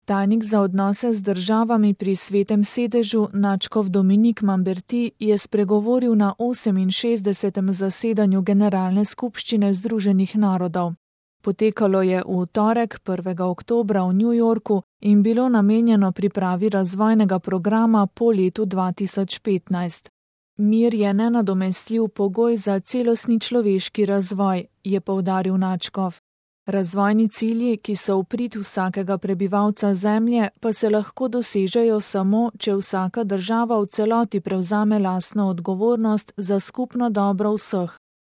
Tajnik za odnose z državami pri Svetem sedežu nadškof Dominique Mamberti je spregovoril na 68. zasedanju Generalne skupščine Združenih narodov. Potekalo je v torek 1. oktobra v New Yorku in bilo namenjeno pripravi razvojnega programa po letu 2015. Mir je nenadomestljiv pogoj za celostni človeški razvoj, je poudaril nadškof. Razvojni cilji, ki so v prid vsakega prebivalca Zemlje, pa se lahko dosežejo samo, če vsaka država v celoti prevzame lastno odgovornost za skupno dobro vseh.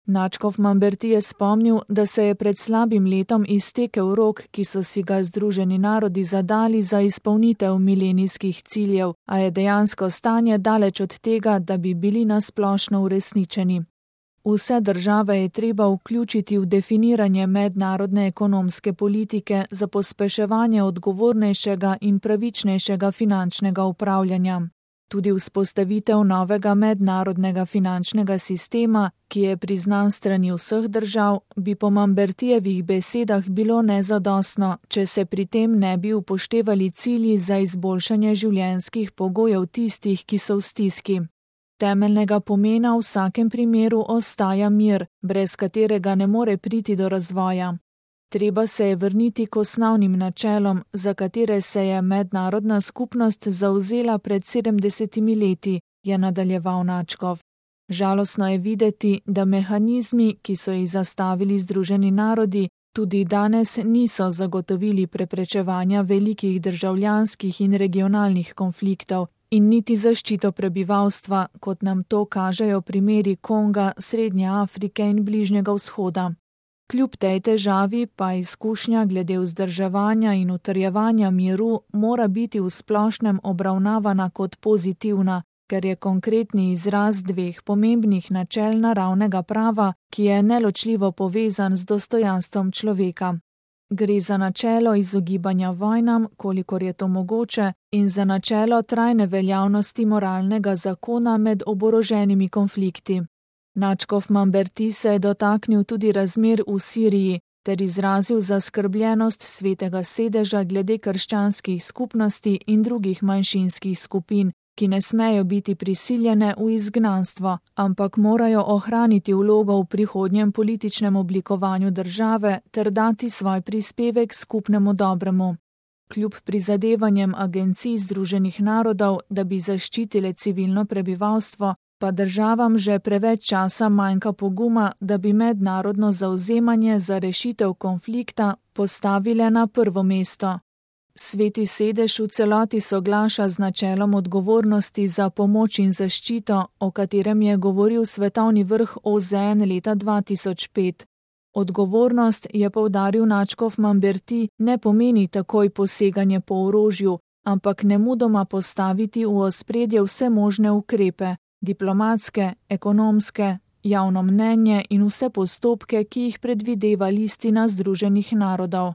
Nadškof Mamberti je spomnil, da se je pred slabim letom iztekel rok, ki so si ga Združeni narodi zadali za izpolnitev milenijskih ciljev, a je dejansko stanje daleč od tega, da bi bili nasplošno uresničeni. Vse države je treba vključiti v definiranje mednarodne ekonomske politike za pospeševanje odgovornejšega in pravičnejšega finančnega upravljanja. Tudi vzpostavitev novega mednarodnega finančnega sistema, ki je priznan strani vseh držav, bi po Mambertijevih besedah bilo nezadostno, če se pri tem ne bi upoštevali cilji za izboljšanje življenjskih pogojev tistih, ki so v stiski. Temeljnega pomena v vsakem primeru ostaja mir, brez katerega ne more priti do razvoja. Treba se je vrniti k osnovnim načelom, za katere se je mednarodna skupnost zavzela pred 70 leti, je nadaljeval nadškof. Žalostno je videti, da mehanizmi, ki so jih zastavili Združeni narodi, tudi danes niso zagotovili preprečevanja velikih državljanskih in regionalnih konfliktov in niti zaščito prebivalstva, kot nam to kažejo primeri Konga, Srednje Afrike in Bližnjega vzhoda. Kljub tej težavi pa izkušnja glede vzdrževanja in utrjevanja miru mora biti v splošnem obravnavana kot pozitivna, ker je konkretni izraz dveh pomembnih načel naravnega prava, ki je neločljivo povezan z dostojanstvom človeka. Gre za načelo izogibanja vojnam, kolikor je to mogoče, in za načelo trajne veljavnosti moralnega zakona med oboroženimi konflikti. Nadškof Mamberti se je dotaknil tudi razmer v Siriji ter izrazil zaskrbljenost Svetega sedeža glede krščanskih skupnosti in drugih manjšinskih skupin, ki ne smejo biti prisiljene v izgnanstvo, ampak morajo ohraniti vlogo v prihodnjem političnem oblikovanju države ter dati svoj prispevek skupnemu dobremu. Kljub prizadevanjem agencij Združenih narodov, da bi zaščitile civilno prebivalstvo, pa državam že preveč časa manjka poguma, da bi mednarodno zavzemanje za rešitev konflikta postavile na prvo mesto. Sveti sedež v celoti soglaša z načelom odgovornosti za pomoč in zaščito, o katerem je govoril svetovni vrh OZN leta 2005. Odgovornost, je poudaril nadškof Mamberti, ne pomeni takoj poseganje po orožju, ampak nemudoma postaviti v ospredje vse možne ukrepe, diplomatske, ekonomske, javno mnenje in vse postopke, ki jih predvideva listina Združenih narodov.